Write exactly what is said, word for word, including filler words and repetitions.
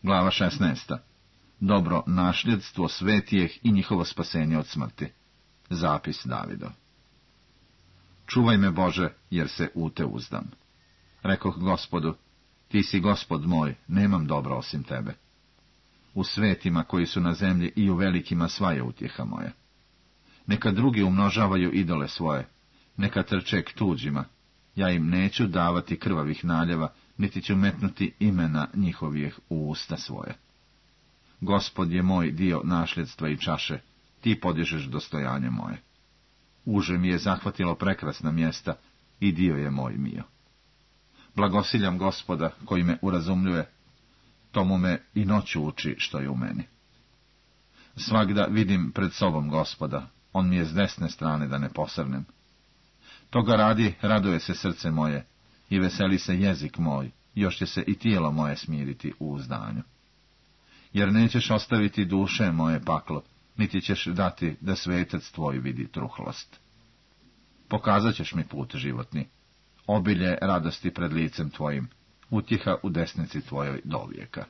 Glava šesnaesta. Dobro nasljedstvo svetijeh i njihovo spasenje od smrti. Zapis Davidov. Čuvaj me, Bože, jer se u te uzdam. Rekoh Gospodu, ti si Gospod moj, nemam dobro osim tebe. U svetima koji su na zemlji i u velikima sva je utjeha moja. Neka drugi umnožavaju idole svoje, neka trče k tuđima, ja im neću davati krvavih naljeva, niti ću metnuti imena njihovih u usta svoje. Gospod je moj dio nasljedstva i čaše, ti podižeš dostojanje moje. Uže mi je zahvatilo prekrasna mjesta i dio je moj mio. Blagosiljam Gospoda koji me urazumljuje, tomu me i noću uči što je u meni. Svagda vidim pred sobom Gospoda, on mi je s desne strane da ne posrnem. Toga radi, raduje se srce moje i veseli se jezik moj, još će se i tijelo moje smiriti u uzdanju. Jer nećeš ostaviti duše moje paklo, niti ćeš dati da svetac tvoj vidi truhlost. Pokazat ćeš mi put životni, obilje radosti pred licem tvojim, utjeha u desnici tvojoj dovijeka.